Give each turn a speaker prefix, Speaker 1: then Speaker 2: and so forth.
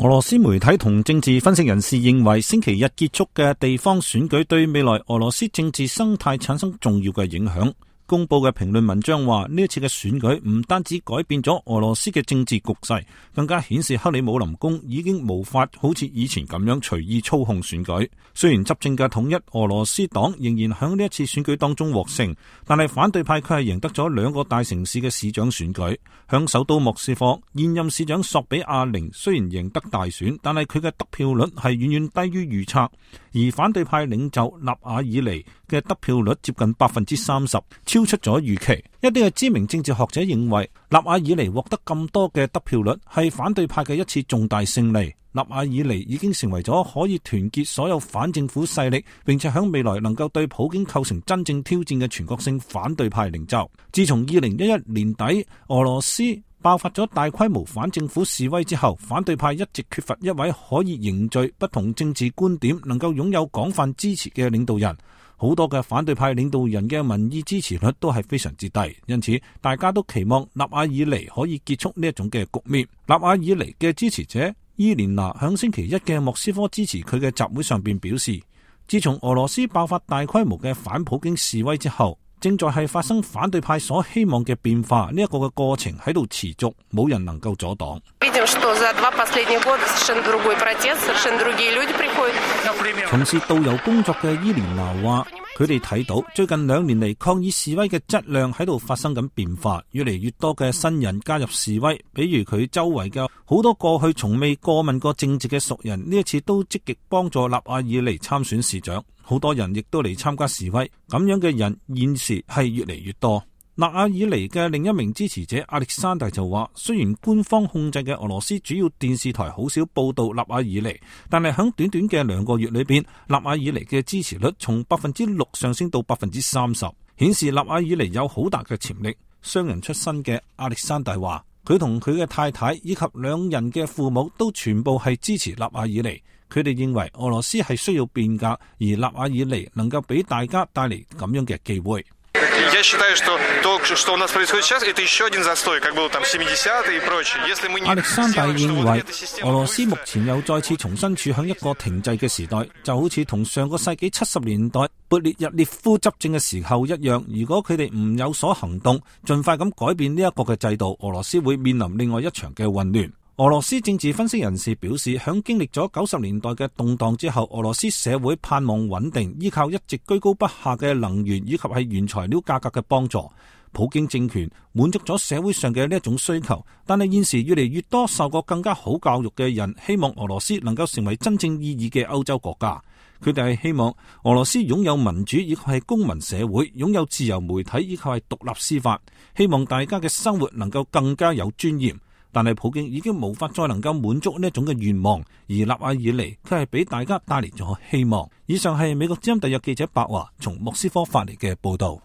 Speaker 1: 俄羅斯媒體同政治分析人士認為，星期日結束嘅地方選舉對未來俄羅斯政治生態產生重要嘅影響。公布嘅評論文章話，呢一次嘅選舉唔單止改變咗俄羅斯嘅政治局勢，更加顯示克里姆林宮已經無法好似以前咁樣隨意操控選舉。雖然執政嘅統一俄羅斯黨仍然喺呢一次選舉當中獲勝，但係反對派佢係贏得咗2個大城市嘅市長選舉。響首都莫斯科，現任市長索比亞寧雖然贏得大選，但係佢嘅得票率係遠遠低於預測，而反對派領袖納瓦爾尼嘅得票率接近 30%， 超出咗預期。一啲嘅知名政治學者認為，納瓦爾尼獲得咁多嘅得票率係反對派嘅一次重大勝利。納瓦爾尼已經成為咗可以團結所有反政府勢力，並且喺未來能夠對普京構成真正挑戰嘅全國性反對派領袖。自從2011年底俄羅斯爆發咗大規模反政府示威之後，反對派一直缺乏一位可以凝聚不同政治觀點、能夠擁有廣泛支持嘅領導人。好多嘅反對派領導人嘅民意支持率都係非常之低，因此大家都期望納瓦爾尼可以結束呢一種嘅局面。納瓦爾尼嘅支持者伊蓮娜響星期一嘅莫斯科支持佢嘅集會上邊表示，自從俄羅斯爆發大規模嘅反普京示威之後，正在係發生反對派所希望嘅變化，呢一個嘅過程喺度持續，冇人能夠阻擋。從事導遊工作嘅伊蓮娜話，佢哋睇到最近2年嚟抗議示威嘅質量喺度發生緊變化，越嚟越多嘅新人加入示威，比如佢周圍嘅好多過去從未過問過政治嘅熟人，呢一次都積極幫助納瓦爾尼參選市長，好多人亦都嚟參加示威，咁樣嘅人現時係越嚟越多。納瓦爾尼嘅另一名支持者亞歷山大就話，雖然官方控制嘅俄羅斯主要電視台好少報道納瓦爾尼，但係喺短短嘅2個月裏邊，納瓦爾尼嘅支持率從 6% 上升到 30%， 顯示納瓦爾尼有好大嘅潛力。商人出身嘅亞歷山大話，佢同佢嘅太太以及2人嘅父母都全部係支持納瓦爾尼，佢哋認為俄羅斯係需要變革，而納瓦爾尼能夠俾大家帶嚟咁樣嘅機會。
Speaker 2: Я считаю, что то, что у нас происходит сейчас, это еще один застой, как было там 70-е и прочее. Если мы не...
Speaker 1: 亞歷山大認為，俄羅斯目前又再次重新處喺一個停滯嘅時代，就好似同上個世紀70年代勃列日涅夫執政嘅時候一樣。如果佢哋唔有所行動，盡快咁改變呢一個嘅制度，俄羅斯會面臨另外一場嘅混亂。俄羅斯政治分析人士表示，響經歷咗90年代嘅動盪之後，俄羅斯社會盼望穩定，依靠一直居高不下嘅能源以及係原材料價格嘅幫助。普京政權滿足咗社會上嘅呢一種需求，但係現時越嚟越多受過更加好教育嘅人希望俄羅斯能夠成為真正意義嘅歐洲國家。佢哋係希望俄羅斯擁有民主，以及係公民社會，擁有自由媒體，以及係獨立司法，希望大家嘅生活能夠更加有尊嚴。但係普京已經無法再能夠滿足呢一種嘅願望，而納瓦爾尼佢係俾大家帶嚟咗希望。以上係美國之音特約記者白華從莫斯科發嚟嘅報道。